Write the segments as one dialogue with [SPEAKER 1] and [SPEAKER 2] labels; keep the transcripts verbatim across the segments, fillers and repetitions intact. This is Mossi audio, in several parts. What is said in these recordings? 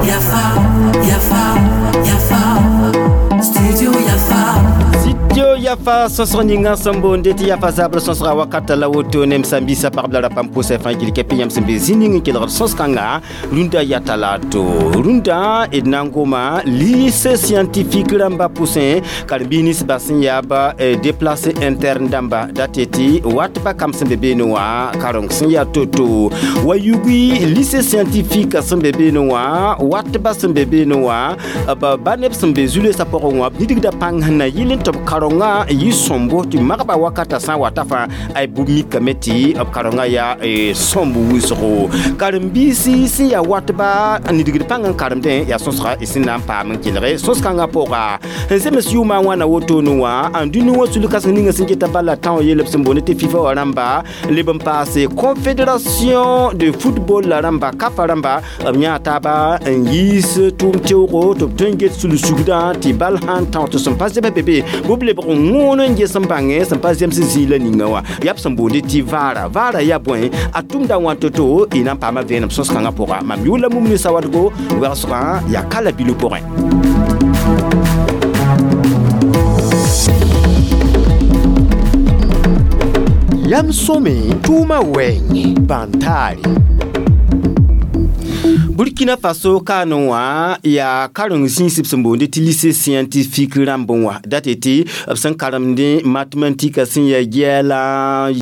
[SPEAKER 1] Yafa, Yafa, Yafa, Studio Yafa.
[SPEAKER 2] Studio Yafa sõsg ninga sẽn boonde tɩ yafa zabr sõsga wakata la woto nem sãn-biisã pagb la ra pãmb pʋsã fãa gil kɛpɩ yãmb sẽn be zĩ ning n kelgd sõs-kãnga rũndã yaa talato rũndã d na n goma lycée scientifique rãmba pʋsẽ karen-biis ninsba sẽn yaa ba déplacé interne dãmba dat tɩ watba kam sẽn be beene wã kareng sẽn yaa to-to wa yugi lycée scientifique sẽn be beene wã watba sẽn be beene wã b ba neb sẽn be zu-loeesã pʋgẽ wã b nidgda pãng sẽn na yɩl n tɩ b karenga yɩ sõmbo tɩ magba wakata sã n wata fãa ay bʋ mikame tɩ b karenga yaa sõmb wʋsgo karen-biisi sẽn yaa watba nidgd pãng n karemdẽ yaa sõsga y sẽn na n paam n kelge sõs-kãngã pʋga n zems yʋʋmã wãna wotone wã n dũni wã sul-kãseng ninga sẽn geta bala tão yelb sẽn boond tɩ FIFA wã rãmba leb n paase confédération de football la rãmba kafa rãmba b yãa taaba n yiis tʋʋm teoogo tɩ b tõe n get sul-sugdã tɩ bal sãn tão tɩ sẽn pa zebs be be bʋb lebg n wõon n ges n bãngẽ sẽn pa zems zĩig la ninga wã yaa b sẽn boonde tɩ vaara vaara yaa bõe a tʋmda wã to-to y na n paama vẽenem sõs-kãngã pʋga mam yʋʋr la mumni sawadgo wɛgsgã yaa kala bilu pʋgẽ.
[SPEAKER 3] Yam sõme tʋʋmã wɛɛngẽ bãn-taare.
[SPEAKER 2] Burkina Faso kaane wã yaa karen zĩisb sẽn boonde tɩ lycée scientifique rãmb wã dat tɩ b sẽn karemdẽ mathématique sẽn yaa gɛɛla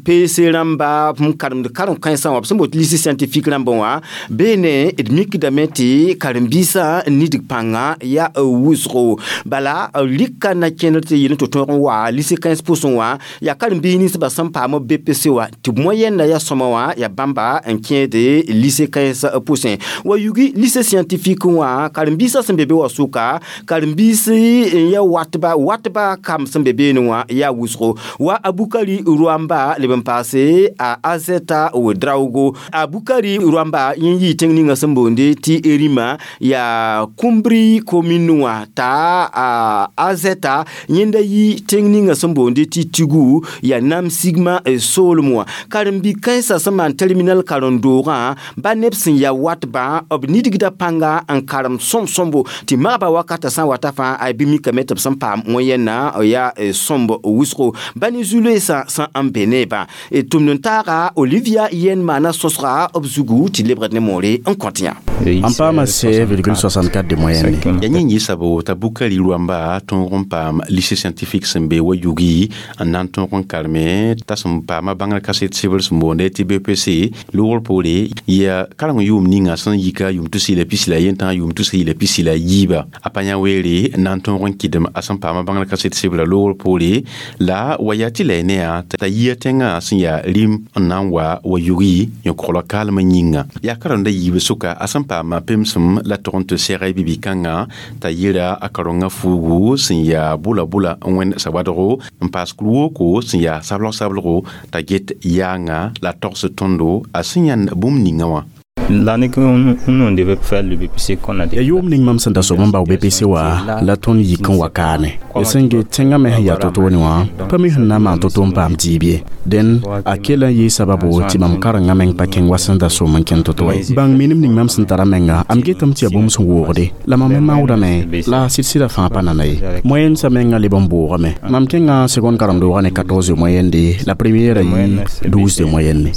[SPEAKER 2] P C rãmba n karemd karen-kãensã wã b sẽn boond tɩ lycée scientifique rãmb wã beene d mikdame tɩ karen-biisã nidg pãnga yaa wʋsgo bala rɩka na kẽndr tɩ yel tɩ tõog n wa lycée kãens pʋsẽ wã yaa karen-biis ninsbã sẽn paam B P C wã tɩ moyenne yaa sõma wã yaa bãmba n kẽede lycée kãens pʋsẽ wa yugi lycée scientifique wã karen-biisã sẽn be be wã sʋka karen-biis n ya watba watba kam sẽn be beene wã yaa wʋsgo wa Abukari Rwamba leb n paase a Azeta Ouedraogo Abukari Rwamba yẽ yɩɩ tẽng ninga sẽn boonde tɩ Erima yaa Kumbri commune wã t'a a Azeta yẽnda yi tẽng ninga sẽn boonde tɩ Tigu yaa Nam Sigma soolem wã karen-bi-kãensã sẽn maan terminal karen-doogã ba neb sẽn yaa watbã b nidgda pãnga n karem sõm-sõmbo tɩ magba wakata sã n wata fãa ay bɩ mikame tɩ b sẽn paam wẽyenna yaa sõmb wʋsgo ba ne zu-loeesã sẽn n be neebã tʋmd n taaga Olivia yen maana sõsga b zugu tɩ lebgd ne moore n kõt yã.
[SPEAKER 4] N paama seize virgule soixante-quatre de moyenne.
[SPEAKER 5] Ya yẽ yɩ sabo t'a Bukari Rwamba tõog n paam lycée scientifique sẽn be wa yugi n na n tõog n kareme t'a sẽn paama bãngr kaset sebr sẽn boonde tɩ B P C loogr poore yaa kareng yʋʋm ninga sẽn yika yʋʋm tus la pis la yentã yʋʋm tus la pis la yiiba a pa yã weere n na n tõog n kɩdem a sẽn paama bãngr kaset sebra loogr poore la wa yaa tɩ la y ne yã t'a yia tẽngã sẽn yaa rĩm n na n wa wa yugi yõ-koglã kaalmã yĩnga yaa karemda yiib sʋka a sẽn paama pemsem la tʋg n tɩ sɛg bibi-kãngã t'a yɩra a karengã fuugu sẽn yaa bʋla-bʋla n wẽnd sawadgo n paas kur-woko sẽn yaa sablg-sablgo t'a get yaanga la togs tõndo a sẽn yãnd bũmb ninga wã.
[SPEAKER 6] L'année que nous on devait faire le B P C qu'on a
[SPEAKER 4] Ya yʋʋm ning mam sẽn da sob n bao B P C wã la tõnd yik n wa kaane d sẽn get tẽngã me sẽn yaa to-toone wã pa mi sẽn na n maan to-to n paam diib ye dẽn a kell n yɩɩ sababo tɩ mam karengã meng pa kẽng wa sẽn da som n kẽnd to-to wa ye bãng minim ning mam sẽn tara menga am getame tɩ yaa bũmb sẽn woogde la mam me maoodame la sɩd-sɩdã fãa pa nana ye moyenne sã menga leb n boogame mam kẽngã seconde karen-doogã ne quatorze de moyenne la première yɩ douze de moyenne.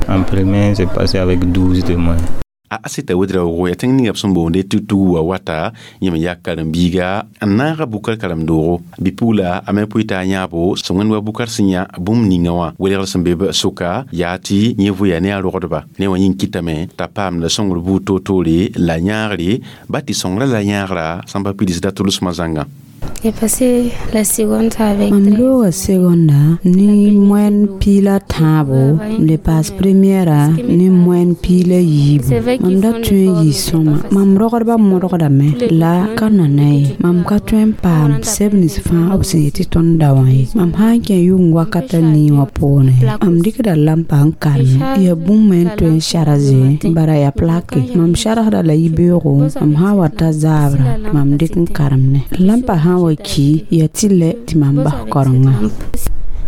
[SPEAKER 6] En premier, j'ai passé avec douze de moyenne.
[SPEAKER 5] A Aseta Ouedraogo yaa tẽng ninga b sẽn boonde tɩ tug wa wata yẽ me yaa karen-biiga n naaga bukar karem-doogo bɩ-pugla a me pʋɩ t'a yãabo sẽn wẽnd wa bukar sẽn yã bũmb ninga wã welgr sẽn be b sʋka yaa tɩ yẽ voya ne a rogdba ne wã yĩng kɩtame t'a paamda sõngr buud toor-toore la yãagre ba tɩ sõngrã la yãagra sãn pa pidsda tʋlsmã zãnga.
[SPEAKER 7] J'ai passé la seconde avec
[SPEAKER 8] Mam looga seconda ne moyenne piila tãabo n le paas première ne moyenne piila yiibu mam da tõe n yɩ sõma mam rogdbã modgdame la ka nana ye mam ka tõe n paam sɛb nins fãa b sẽn yetɩ tõnd da wã ye mam sã n kẽ yʋng wakata nii wã poorẽ mam dɩkda lampa n karme yaa bũmb me n tõe n sara zẽ bara yaa plake mam sargsda la yibeoogo mam sã n wa ta zaabra mam dɩk n karemne lampa sã n wa ki ya tɩ lɛ tɩ mam bas karenga.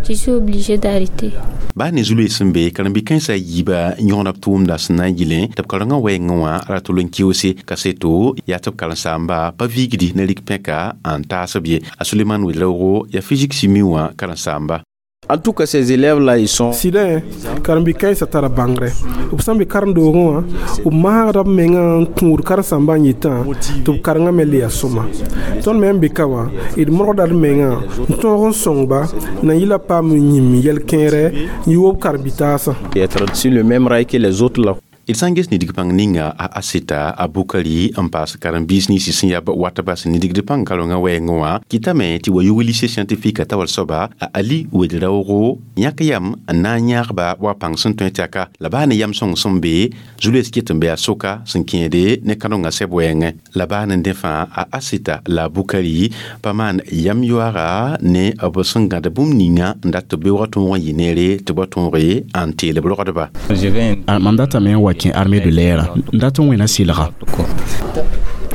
[SPEAKER 7] Je suis obligée d'arrêter.
[SPEAKER 5] Baa ne zulue sẽn be karen-bi-kãensã yiiba yõgda b tʋʋmda sẽn na n yɩlẽ tɩ b karengã wɛɛngẽ wã ra tol n keoose kaseto yaa tɩ b karen-saamba pa viigdi ne rɩk pẽka n taas b ye. A Suleman Wedraoogo yaa physique chimie wã karen-saamba.
[SPEAKER 9] En tout cas, ces élèves-là, ils sont.
[SPEAKER 10] Sɩdẽ karen-bi-kãensã tara bãngre. B sẽn be karen-doogẽ wã, b maagda b menga n kũud karen-sãmbã n yetã tɩ b karengã me le yaa sõma. Tõnd me n be ka wã, d modgda d menga n tõog n sõngba na yɩla paam n yĩm yɛl-kẽerɛ n yʋ b karen-bi-taasã.
[SPEAKER 9] Être sur le même rail que les autres là.
[SPEAKER 5] D sã n ges nidg pãng ninga a Aseta a Bukari n paas karen-biis ninsã sẽn yaa watba sẽn nidgd pãng karengã wɛɛngẽ wã kɩtame tɩ wa yug lycée scientifique t'a wal soaba a Ali Wedraoogo yãk yam n na n yãagba wa pãng sẽn tõe tɩ la baa ne yam sõng sẽn be zu-loees ket n be a soka sẽn kẽede ne kãdengã sɛb wɛɛngẽ la baa ne dẽ fãa a Aseta la a Bukari pa maan yam yoaaga ne b sẽn gãd bũmb ninga n dat tɩ beoogã tõog n yɩ neere tɩ ba tõoge n teel b rogdba.
[SPEAKER 4] Mam datame n wa kẽ armée de l'air n dat n wẽna sɩlga.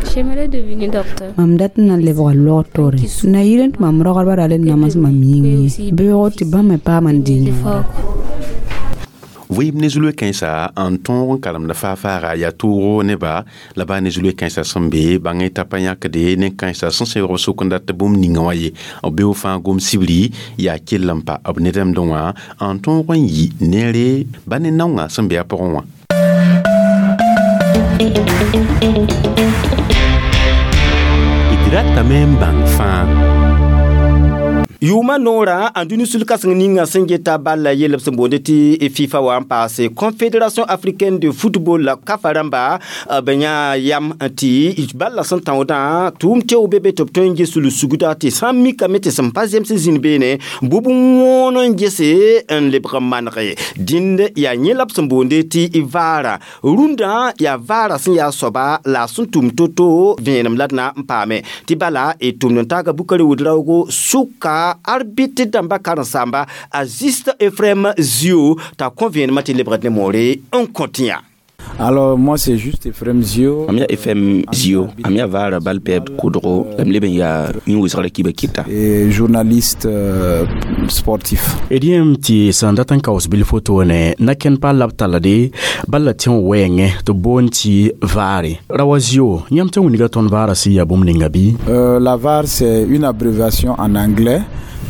[SPEAKER 7] J'aimerais devenir docteur.
[SPEAKER 8] Mam dat n na n lebga logtore na yɩl tɩ mam rogdbã ra le nams mam yĩng ye beoogo tɩ bãmb me paam n dɩ.
[SPEAKER 5] Vɩɩm ne zulue kãensa n tõog n karemda faa-faaga yaa toogo neba la baa ne zulue kãensã sẽn be bãng t'a pa yãkde ne kãensã sẽn sẽoog b sʋk n dat bũmb ninga wã ye b beoog fãa gom sibri yaa kell n pa b nedemdẽ wã n tõog n yi neere ba ne naongã sẽn be a pʋgẽ wã. D ratame n bãng fãa.
[SPEAKER 2] Yʋʋma noorã n dũni sul-kãseng ninga sẽn geta balla yell b sẽn boonde tɩ FIFA wã n paase Confédération africaine de football la kafa rãmba b yã yam tɩ balla sẽn tãoodã tʋʋm teo be be tɩ b tõe n ges sul-sugda tɩ sã n mikame tɩ sẽn pa zems zĩnd beene bʋb wõon n gese n lebg n manege dĩnd yaa yẽ la b sẽn boonde tɩ vaara rũndã yaa vaara sẽn yaa soaba la a sẽn tʋm to-to vẽenem la d na n paame tɩ bala d tʋmd n taaga Bukari Wedraoogo sʋka arbitre dãmba karen-saamba a Juste Ephraim Zio t'a kõ vẽenemã tɩ lebgd ne moore n kõ tɩ yã.
[SPEAKER 11] Alors moi, c'est juste Ephraim Zio.
[SPEAKER 12] Mam yaa Ephraim Zio, am yaa vaara bal pɛɛb kʋdgo la m leb n yaa yĩn-wɩsgrã kiba kɩta.
[SPEAKER 11] Et journaliste euh, sportif.
[SPEAKER 4] D yẽem tɩ sẽn dat n kaoos bilf wotone na-kẽnd pa la b tallde bal la tẽ wɛɛngẽ tɩ b boond tɩ vaare rawa zio yãmb tɩ wilga tõnd vaara sẽn yaa bũmb ninga bɩ?
[SPEAKER 11] Euh, la VAR, c'est une abréviation en anglais.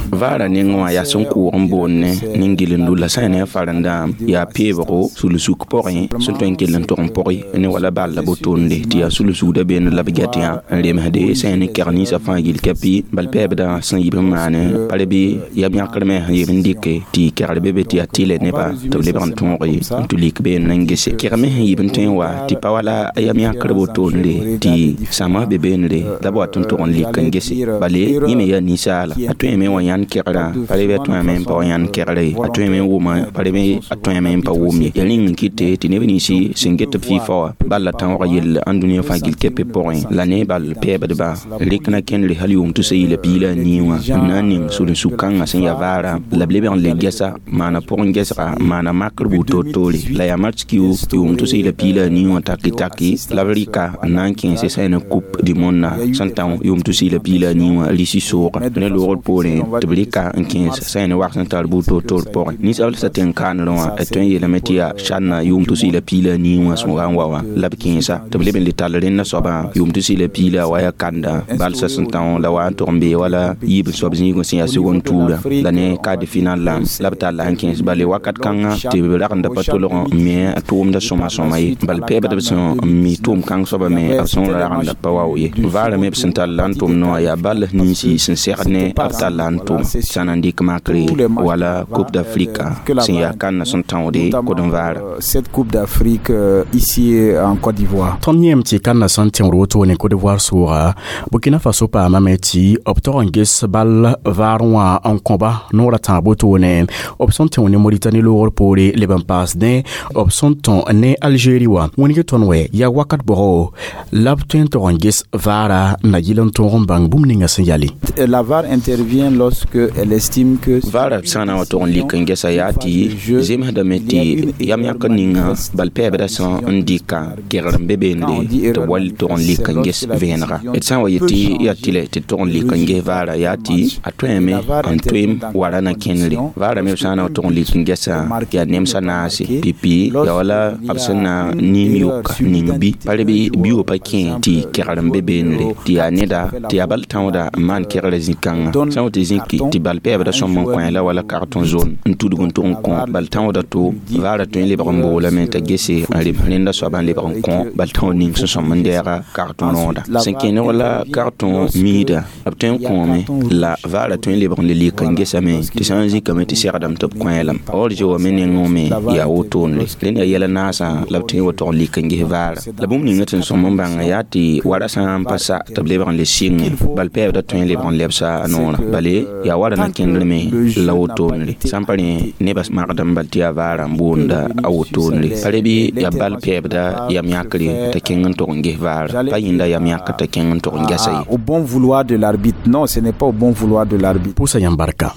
[SPEAKER 12] Vaara nengẽ wã yaa sẽn kʋʋg n boond ne nin-gilendo la sã n ne a farendã yaa peebgo sul-suk pʋgẽ sẽn tõe n kell n tog n pʋgɩ ne wala bal la botonde tɩ yaa sul-sugda beene la b get yã n remsde sã n ne kɛg ninsã fãa gill kɛpɩ bal pɛɛbdã sẽn yib n maane pa bɩ yam yãkr me sẽn yeb n dɩke tɩ kɛgr be be tɩ yaa tɩlɛ nebã tɩ b lebg n tõoge n tɩ lik beene n gese kɛg me sẽn yib n tõe n wa tɩ pa wala a yam yãkr botonde tɩ sãma be beenre la b wat n tog n lik n gese bale yẽ me yaa ninsaala a tõeme wã yãnd kɛgrã pa rebe a tõeme n pa wa yãnd kɛgre ye a tõeme n wʋma pa rebe a tõeme n pa wʋm ye ya rĩng n kɩte tɩ neb ninsi sẽn get b FIFA wã bal la tãoog yell ãn dũniyã fãa gill kɛpɛ pʋgẽ la ne bal pɛɛbdba rɩk na kẽndre hal yʋʋm tʋsa yɩla piig la a nii wã n na n ning sul-n-suk kãngã sẽn yaa vaara la b lebg n le gɛsa maana pʋgẽ gɛsga maana makr buud toor-toore la yaa match kiu yʋʋm tʋsa yɩla piig la a nii wã taki taki la b rɩka n na n kẽese sã ne Coupe du monde na sẽn tão yʋʋm tʋsa yɩla piig la a nii wã risi sooga ne loogr poorẽ tɩ b rɩka n kẽes sã ne wag sẽn tar buud toor-toor pʋgẽ ninsaal sã tɩ n kaanrẽ wã d tõe n yeelame tɩ yaa sãnna yʋʋm tʋs yɩla piig la a nii wã sẽn wa n wa wã la b kẽesa tɩ b leb n le tall rẽndã soabã yʋʋm tʋs yɩla piig la wa yaa kanda balsã sẽn tão la wa n tog n bee wala yiib n soab zĩigẽ sẽn yaa segon tuurã la ne quart de finale la la b talla n kẽes bale wakat kãngã tɩ b ragenda pa tolg n me a tʋʋmda sõma sõma ye bal pɛɛbdb sẽn n mi tʋʋm kãng soaba me b sẽn ragenda pa wao ye vaara me b sẽn tall la n tʋm noa yaa bal ninsi sẽn segd ne b talla n tʋm sã na n dɩk makre wala Coupe d'Afrique sẽn yaa kãnna sẽn tãoode kod n vaara.
[SPEAKER 11] Cette Coupe d'Afrique euh, ici en Côte d'Ivoire.
[SPEAKER 4] Tõnd yẽem tɩ kãnna sẽn tẽod wotone Côte d'Ivoire sʋʋga Burkina Faso paamame tɩ b tog n ges bal vaar wã n kõba noorã tãab wotone b sẽn tẽ ne Mauritanie loogr poore leb n paasdẽ b sẽn tõ ne Algérie wã wĩneg tõnd wɛ yaa wakat bʋgo la b tõe n tog n ges vaara na yɩl n tõog n bãng bũmb ninga sẽn yale.
[SPEAKER 11] La VAR intervient lorsque Lorsque elle estime que
[SPEAKER 12] vaara sã n na n wa tog n lik n gesa yaa tɩ zemsdame tɩ yam yãk ninga bal pɛɛbdã sã n dɩka kegr n be beende tɩ b wall tog n lik n ges vẽenega d sã n wa yet tɩ yaa tɩlɛ tɩ tog n lik n ges vaara yaa tɩ a tõeme n toeem wara na kẽnere vaara me b sã n na n tog n lik n gesa yaa nemsã naase pipi yaa wala b sẽn na niim yoka ning bi pa bɩ bio pa kẽ tɩ kegr n be beendre tɩ yaa neda tɩ yaa bal tãooda n maan kegrã zĩ-kãngã sã n wa tɩ zĩki tɩ bal pɛɛbdã sõm n kõ la wala karton zone n tudg n tʋg n kõ bal tãooda to vaara tõe n lebg n boolame t'a gese n rems rẽnda soaba n lebg n kõ bal tãood ning sẽn sõm n deega karton rõoda sẽn kẽneg la karton miida b tõe n kõome la vaara tõe n lebg n le lik n gesame tɩ sã n zĩkame tɩ segdame tɩ b kõ lame or zoa me nengẽ me yaa wotone rẽnd yaa yɛl naasã la b tõe n wa tog n lik n ges vaara la bũmb ninga tɩ n sõm n bãnga yaa tɩ wara sã n pa sa tɩ b lebg n le sɩngẽ bal pɛɛbda tõe n lebg n lebsa a noorã bale yaa wara na kẽndr me la wotone sã n pa rẽ nebã magdem bal tɩ yaa vaara n boonda a wotone pa re bɩ yaa bal pɛɛbda yam yãkre t'a kẽng n tog n ges vaara pa yĩnda yam yãkr t'a kẽng n tog n gesa ye
[SPEAKER 11] au bon vouloir de l'arbitre. Non, ce n'est pas au bon vouloir de l'arbitre.
[SPEAKER 4] Pʋsa yãmb barka.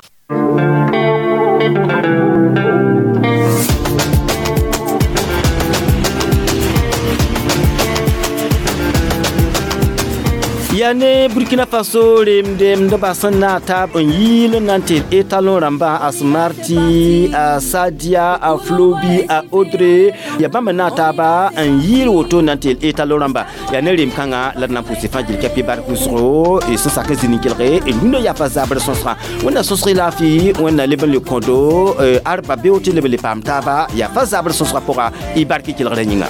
[SPEAKER 2] Yaa ne Burkina Faso remdemdbã sẽn na n taab n yɩɩl n na n tɩ étalon rãmbã a Smarty, a Sadia, a Flobi, a Audrey yaa bãmb n na n taaba n yɩɩl woto n na n tɩ étalon rãmba yaa ne rem-kãngã la d na n pʋʋse fãa gil kɛpɩ bark wʋsgo y sẽn sak n zĩ nin-kelge d rũndã yaa pa zabr sõsgã wẽnna sõsg y laafɩ wẽnna leb n le kõdo arba beoog tɩ leb n le paam taaba yaa fa zabr sõsgã pʋga y bark kelgrã yĩnga.